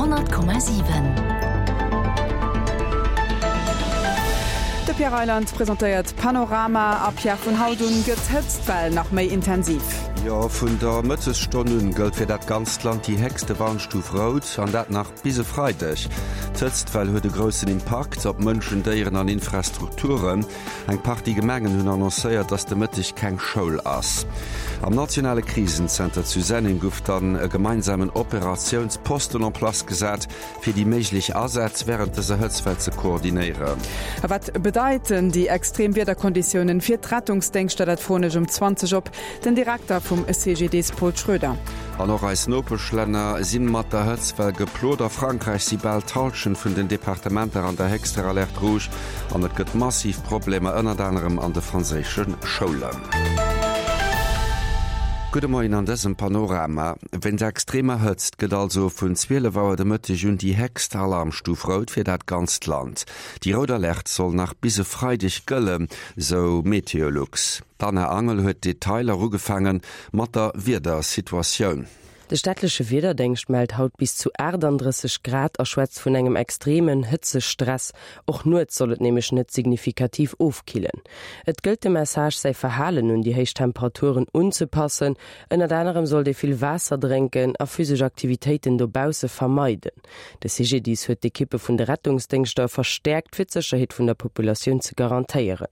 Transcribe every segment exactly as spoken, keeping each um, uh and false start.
honnert Komma siwen. De Pierre Reyland presentéiert Panorama a Pierre, vun haut un gëtt d'Hëtztwell nach méi intensiv. Jo, vun der Mëttesstonn un gëllt fir dat ganzt Land déi héchste Warnstuf rout, an dat nach bis e Freideg. D'Hëtztwell huet e groussen Impakt op Mënschen, Déieren an Infrastrukturen. Eng Partie Gemengen hunn annoncéiert, dass de Mëtteg keng Schoul ass. Am nationale Krisenzenter zu Senneng gouf dann e gemeinsamen Operatiounsposten en place gesat, fir déi méiglech Asätz wärend dëser Hëtztwell ze koordinéieren. A wat bedeiten déi extrem Wiederkonditiounen fir d'Rettungsdéngschter? Dat froen ech um zwanzeg op den Direkter vum C G D S Paul Schroeder. An och eis Nopeschlänner si mat der Hëtztwell geplot. A Frankräich si bal d'Hallschent vun den Departementer an der héchster Alerte rouge an et gëtt massiv Problemer ënnert anerem an de franséische Schoulen. Gudde Moien an dësem Panorama. Wéinst extremer Hëtzt gëtt also vun zwielef Auer de Mëtteg un déi héchst Alarmstuf rout fir dat ganzt Land. Déi rout Alerte soll nach bis e Freideg gëllen, sou Meteolux. D'Anna Angel huet d'Detailer, ugefaange mat der Wiedersituatioun. De staatleche Wiederdéngscht mellt haut bis zu aachtanddrësseg Grad a schwätzt vun engem extremen Hëtzestress. Och nuets soll et nämlech net signifikativ ofkillen. Et gëllt de Message, säi Verhalen un déi héich Temperaturen unzepassen. Ënnert anerem sollt ee vill Waasser drénken a physesch Aktivitéiten dobausse vermeiden. De C G D I S huet d'Ekippe vun de Rettungsdéngschter verstäerkt, fir d'Sécherheet vun der Populatioun ze garantéieren.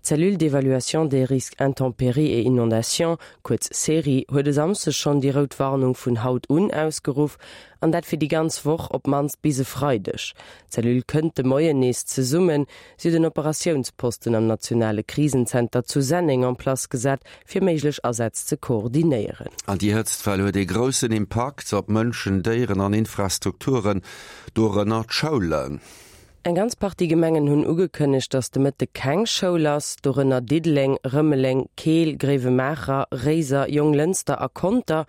D'Cellule d'évaluation des risques intempéries et inondations, kuerz CERI, huet e Samschdeg schonn déi rout Warnung vun haut un ausgeruff, an dat fir déi ganz Woch, op d'mannst bis e Freideg. D'Cellule kënnt de Moien nees zesummen. Si huet en Operatiounsposten am nationale Krisenzenter zu Senneng en place gesat, fir méiglech Asätz ze koordinéieren. An déi Hëtztwell huet e groussen Impakt op Mënschen, Déieren an Infrastrukturen, dorënner d'Schoulen. Eng ganz Partie Gemengen hunn ugekënnegt, datt de Mëtte keng Schoul ass, dorënner Diddeleng, Rëmeleng, Keel, Gréiwemaacher, Réiser, Jonglënster a Conter.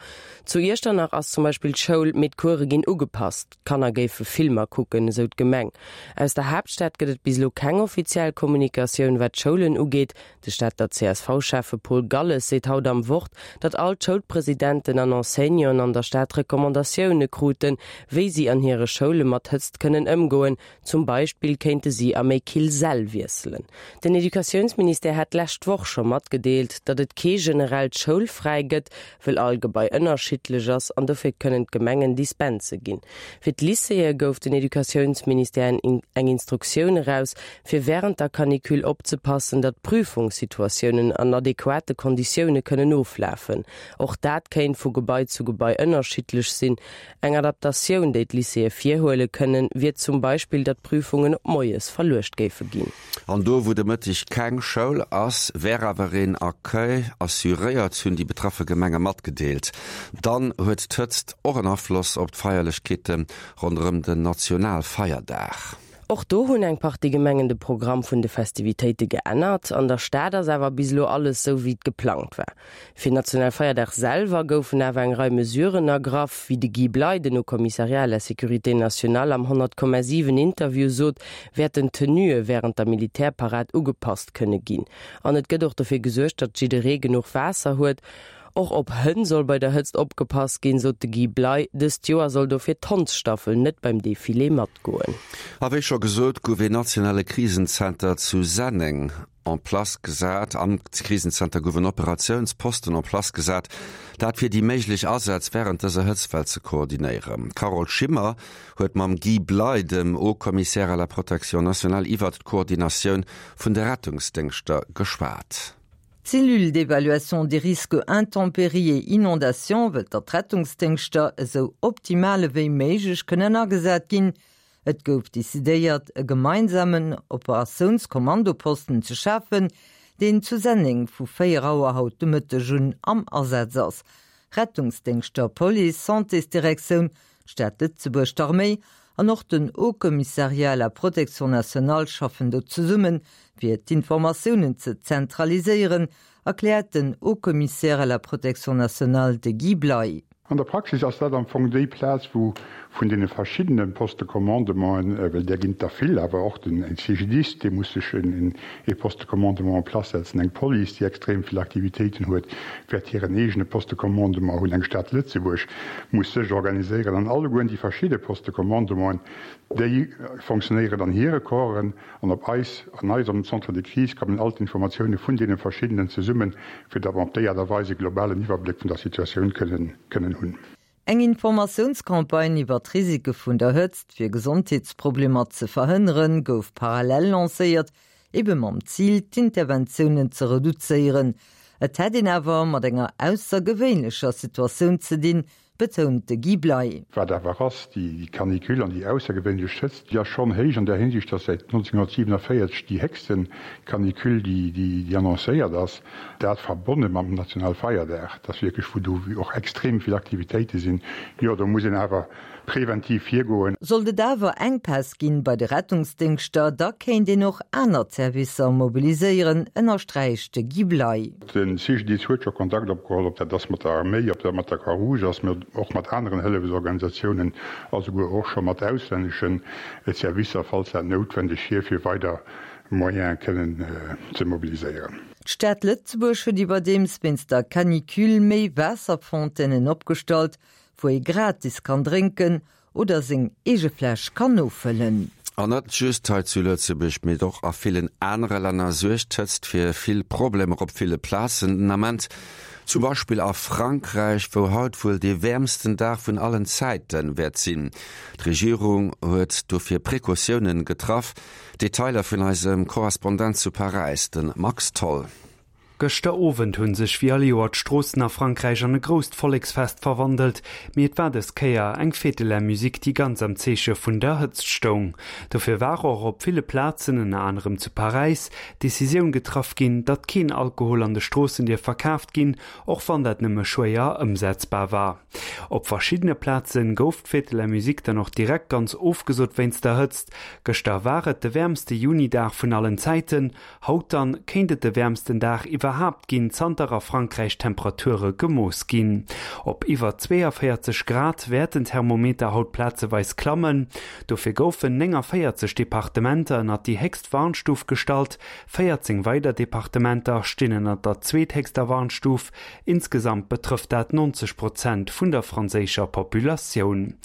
Zu Iechternach ass zum Beispill d'Schoul, mee d'Course ginn ugepasst. D'Kanner géife Filmer kucken, esou d'Gemeng. Aus der Haaptstad gëtt et bis elo keng offiziell Kommunikatioun, wat d'Schoulen ugeet. De Stater C S V-Schäffe Paul Galles seet haut am Wort, datt all d'Schoulpresidenten an Enseignanten an der Stad Recommandatioune kruten, wéi si an hire Schoule mat Hëtzt kënnen ëmgoen. Zum Beispill kéinte si a méi kill Säll wiesselen. Den Educatiounsministère hat d'lescht Woch scho matgedeelt, datt et kee generellt Schoulfräi gëtt, wëll all Gebai ënnerschiddlech ass an dofir kënnen d'Gemengen Dispense ginn. Fir d'Lycéeë gouf den Educatiounsministère eng Instruktioun eraus, fir wärend der Canicule opzepassen, datt Prüfungssituatiounen an adequate Konditioune kënnen oflafen. Och dat kéint vu Gebai zu Gebai ënnerschiddlech sinn. Eng Adaptatioun, déi d'Lycéeë virhuele kënnen, wier zum Beispill, datt Prüfungen op moies verluecht géife ginn. An do, wou de Mëtteg keng Schoul ass, wär awer een Accueil assuréiert, hunn déi betraffe Gemenge matgedeelt. Dann huet d'Hëtzt och en Afloss op d'Feierlechkeete ronderëm den Nationalfeierdag. Och do hunn eng Partie Gemengen de Programm vun de Festivitéite geännert. An der Stad ass awer bis elo alles sou wéi et geplangt war. Fir Nationalfeierdag selwer goufen awer eng Rei Mesuren ergraff, wéi de Guy Bley, den Haut-Commissariat à la sécurité nationale am honnert Komma siwen Interview sot, wäerten d'Tenuë wärend der Militärparad ugepasst kënne ginn. An et gëtt och dofir gesuergt, datt jidderee genuch Waasser huet. Och op Hënn soll bei der Hëtzt opgepasst ginn, sot de Guy Bley. Dëst Joer soll dofir d'Hondsstaffel net beim Defilé matgoen. A wéi scho gesot, gouf een nationale Krisenzenter zu Senneng en place gesat. Am Krisenzenter gouf en Operatiounsposten en place gesat, dat fir déi méiglech Asätz wärend dëser Hëtztwell ze koordinéieren. D'Carole Schimmer huet mam Guy Bley, dem Haut-Commissaire à la protection nationale, iwwert d'Koordinatioun vun de Rettungsdéngschter geschwat. D'Cellule d'évaluation des risques intempéries et inondations wëllt datt d'Rettungsdéngschter esou optimal wéi méiglech kënnen agesat ginn. Et gouf decidéiert, e gemeinsamen Operatiounskommandoposten ze schafen, deen zu Senneng vu véier Auer haut de Mëtteg un am Asaz ass. Rettungsdéngschter, Police, Santésdirektioun, Stad Lëtzebuerg, d'Arméi an och den Haut-Commissariat à la protection nationale schaffen do zesummen, fir d'Informatiounen ze zentraliséieren, erkläert den Haut-Commissaire à la protection nationale de Guy Bley. An der Praxis ass dat am Fong déi Plaz, wou vun deene verschiddene Postes de commandementen, well där ginn et der vill, awer och den CGDIS, dee muss sech ee Poste de commandement en place setzen, eng Police, déi extrem vill Aktivitéiten huet, wäert hiren eegene Poste de commandement hunn, eng Stad Lëtzebuerg muss sech organiséieren an allegueren déi verschidde Postes de commandementen, déi fonctionnéieren an hire Corpsen an op eis, an eis am Centre de crise kommen all d'Informatioune vun deene verschiddenen zesummen, fir datt mer op déi Aart a Weis e globalen Iwwerbléck vun der Situatioun kënnen, kënnen hunn. Eng Informatiounscampagne iwwer d'Risike vun der Hëtzt, fir Gesondheetsproblemer ze verhënneren, gouf parallel lancéiert, ebe mam Zil, d'Interventiounen ze reduzéieren. Et hätt een awer mat enger aussergewéinlecher Situatioun ze dinn, betount de Guy Bley. Wat awer ass, déi Canicule an déi aussergewéinlech Hëtzt, déi ass schonn héich an där Hinsicht, dass säit nonzénhunnertsiewenavéierzeg déi héchste Canicule, déi annoncéiert ass, dat verbonne mam Nationalfeierdag, dass wierklech, wou do och extrem vill Aktivitéite sinn, jo, do muss een awer preventiv virgoen. Sollt et awer Enkpäss ginn bei de Rettungsdéngschter, da kéint een och aner Servicer mobiliséieren, ënnersträicht de Guy Bley. De C G D I S huet scho Kontakt opgeholl, ob dat ass mat der Arméi, ob dat mat der Croix-Rouge ass, mä och mat aneren Hëllefsorganisatiounen a souguer och scho mat auslännesche Servicer, falls dat noutwendeg wier, fir weider Moyene kënnen ze mobiliséieren. D'Stad Lëtzebuerg huet iwwerdeems wéinst der Canicule méi Waasserfontänen opgestallt, wou ee gratis kann drénken oder seng eege Fläsch kann nofëllen. An net just hei zu Lëtzebuerg, mee och a villen anere Länner suergt d'Hëtzt fir vill Problemer op ville Plazen den Ament. Zum Beispill a Frankräich, wou haut wuel dee wäermsten Dag vun allen Zäite wäert sinn. D'Regierung huet dofir Precautiounen getraff. Detailer vun eisem Korrespondent zu Paräis, de Max Tholl. Gëschter Owend hunn sech wéi all Joer d'Stroossen a Frankräich an e grousst Volleksfest verwandelt, mee et war dës Kéier eng Fête de la Musique, déi ganz am Zeeche vun der Hëtzt stoung. Dofir war och op ville Plazen, ënner anerem zu Paräis, d'Decisioun getraff ginn, datt keen Alkohol an de Stroossen dierf verkaaft ginn, och wann dat nëmme schwéier ëmsetzbar war. Op verschiddene Plazen gouf d'Fête de la Musique dann och direkt ganz ofgesot wéinst der Hëtzt. Gëschter war et de wäermste Junidag vun allen Zäiten, haut dann kéint et de wäermsten Dag iwwerhaapt ginn, zanter a Frankräich Temperature gemooss ginn. Op iwwer zweeënvéierzeg Grad wäerten d'Thermometer haut plazeweis klammen. Dofir goufen néngavéierzeg Departementer ënnert déi héchst Warnstuf gestallt, véierzéng weider Departementer stinn ënnert der zweethéchster Warnstuf. Insgesamt betrëfft dat neunzeg Prozent vun der franséischer Populatioun.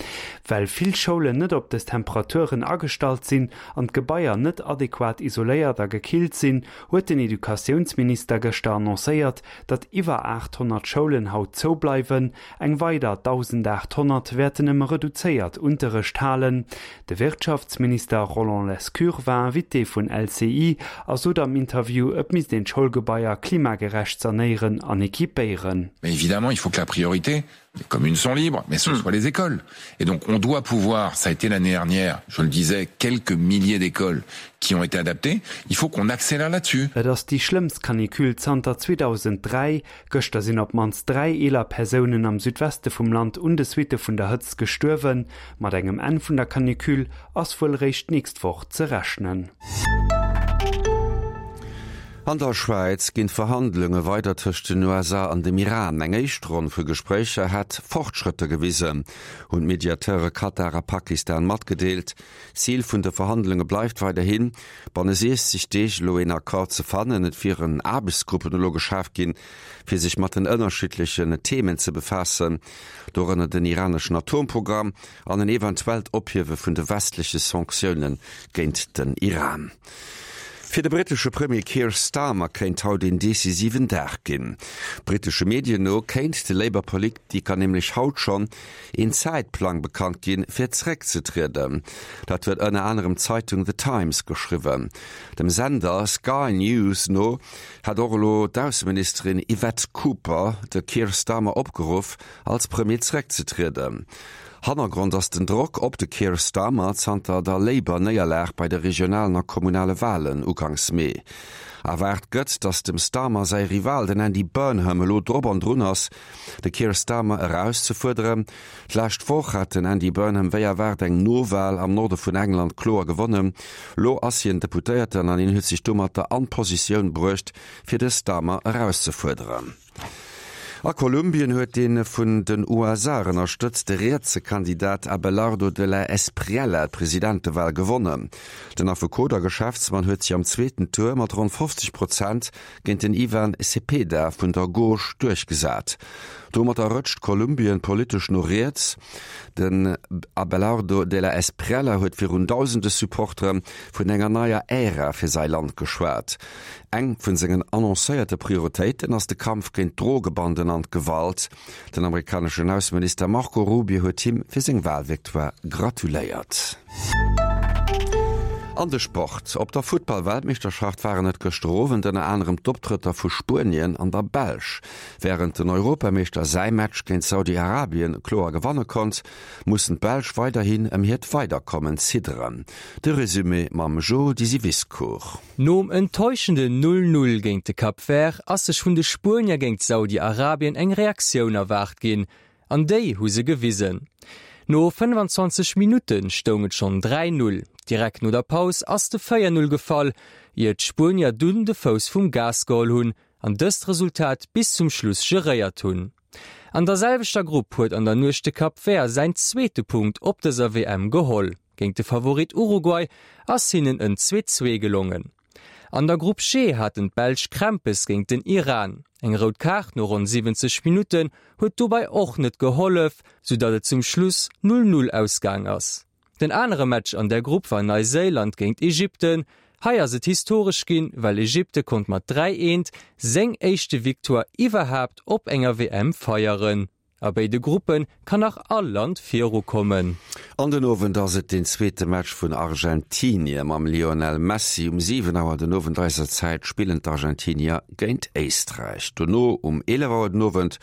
Well vill Schoulen net op dës Temperaturen agestallt sinn an d'Gebaier net adequat isoléiert a gekillt sinn, huet den Educatiounsminister gëschter annoncéiert, datt iwwer aathonnert Schoulen haut zoubleiwen, eng weider dausendaathonnert wäerten nëmme reduzéiert Unterrecht halen. De Wirtschaftsminister Roland Lescure war Invité vun L C I a sot am Interview, et misst een d'Schoulgebaier klimagerecht sanéieren an equipéieren. Mais évidemment, il faut que la priorité, les communes sont libres, mais ce soit les écoles. Et donc on doit pouvoir, ça a été l'année dernière, je le disais, quelques milliers d'écoles qui ont été adaptées, il faut qu'on accélère là-dessus. Et ass déi schlëmmst Canicule zanter zweedausend dräi. Gëschter sinn op d'mannst dräi eeler Persounen am Südweste vum Land un de Suitte vun der Hëtzt gestuerwen. Mat engem Enn vun der Canicule ass wuel réischt d'nächst Woch ze rechnen. An der Schwäiz ginn d'Verhandlunge weider tëscht den U S A an dem Iran. Eng éischt Ronn vu Gespréicher hätt Fortschrëtter gewisen, hunn d'Mediateure Katar a Pakistan matgedeelt. Zil vun de Verhandlunge bleift weiderhin, banne siechzeg Deeg elo een Accord ze fannen. Et wieren Aarbechtsgruppen elo geschaf ginn, fir sech mat den ënnerschiddlechen Themen ze befaassen, dorënner den iraneschen Atomprogramm an en eventuellt Ophiewe vun de westleche Sanktioune géint den Iran. Fir de brittesche Premier Keir Starmer kéint haut een decisiven Dag ginn. Brittesche Medien no kéint de Labour-Politiker nämlech haut schonn een Zäitplang bekannt ginn, fir zeréckzetrieden. Dat huet ënner anerem d'Zeitung The Times geschriwwen. Dem Sender Sky News no hat och elo d'Ausseministerin Yvette Cooper de Keir Starmer opgeruff, als Premier zeréckzetrieden. Hannergrond ass den Drock op de Keir Starmer zanter der Labour-Néierlag bei de regionalen a kommunale Walen uganks Mee. Erwaart gëtt, datt dem Starmer säi Rival, den Andy Burnham, elo drop an drun ass, de Keir Starmer erauszefuerderen. D'lescht Woch hat den Andy Burnham wéi erwaart eng Nowal am Norde vun England kloer gewonnen. Lo ass hien Deputéierten an hien huet sech domatter an d'Positioun bruecht, fir de Starmer erauszefuerderen. A Kolumbien huet dee vun den U S A ënnerstëtzte rietse Kandidat Abelardo de la Espriella d'Presidentewal gewonnen. Den Affekot a Geschäftsmann huet sech am zweeten Tour mat ronn fofzeg Prozent géint den Ivan Cepeda vun der Gauche duerchgesat. Domatter rëtscht Kolumbien politesch no riets. Den Abelardo de la Espriella huet virun dausende Supportere vun enger neier Ära fir säi Land geschwat. Eng vun sengen annoncéierte Prioritéiten ass de Kampf géint d'Drogebanden an d'Gewalt. Den amerikaneschen Ausseminister Marco Rubio huet him fir seng Walvictoire gratuléiert. An de Sport. Op der Futtball-Weltmeeschterschaft waren et gëschter Owend ënner anerem d'Optrëtter vu Spuenien an der Belsch. Wärend den Europameeschter säi Match géint Saudi-Arabien kloer gewanne konnt, mussen d'Belsch weiderhin ëm hiert Weiderkommen zidderen. De Resumé mam Jo Disiviscour. Nom enttäuschenden null null géint de Cap Vert ass sech vun de Spuenier géint Saudi-Arabien eng Reaktioun erwaart ginn. An déi hu se gewisen. No fënnwanzwanzeg Minutten stoung et schonn dräi null. Direkt no der Paus ass de véier null gefall, ier d'Spuenier dunn de Fouss vum Gas geholl hunn an dëst Resultat bis zum Schluss geréiert hunn. An der selwechter Grupp huet an der Nuecht de Cap Vert säin zweete Punkt op dëser W M geholl. Géint de Favorit Uruguay ass hinnen en zwee zwee gelongen. An der Grupp G haten d'Belsch Krämpes géint den Iran. Eng rout Kaart no ronn siwwenzeg Minutten huet dobäi och net gehollef, soudatt et zum Schluss null null ausgaang ass. Den anere Match an der Grupp war Neuseeland géint Ägypten. Hei ass et historesch ginn, well Ägypte konnt mat dräi eent seng éischte Victoire iwwerhaapt op enger W M feieren. A béide Gruppe kann nach all Land virukommen. An den Owend ass et den zweete Match vun Argentinie mam Lionel Messi. Um siwen Auer den Owend eiser Zäit spillen d'Argentinier géint Éisträich. Dono um eelef Auer den Owend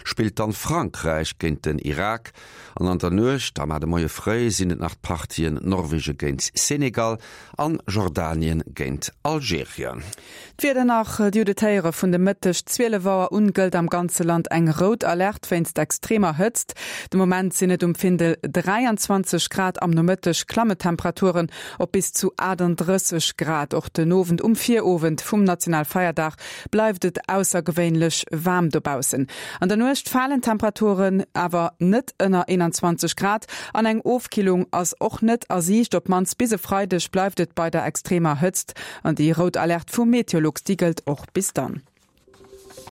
spillt dann Frankräich géint den Irak. An an der Nuecht, am de Moie fréi, sinn et nach d'Partien Norwege géint Senegal an Jordanien géint Algerien. D'Wieder nach, déi Judetéiere vun de Mëtteg zwielef Auer un gëllt am ganze Land eng rout Alert wéinst extremer Hëtzt. De Moment sinn et um Findel dräianzwanzeg Grad, am Nomëtteg Klammetemperaturen op bis zu achtundrësseg Grad. Och den Owend um Virowend vum Nationalfeierdag bleift et aussergewéinlech waarm dobaussen. An der Nuecht falen Temperaturen awer net ënner einundzwanzeg Grad an eng Ofkillung ass och net a Siicht. Op mannst bis e Freideg bleift et bei der extremer Hëtzt an déi rout Alert vum Meteolux, déi gëllt och bis dann.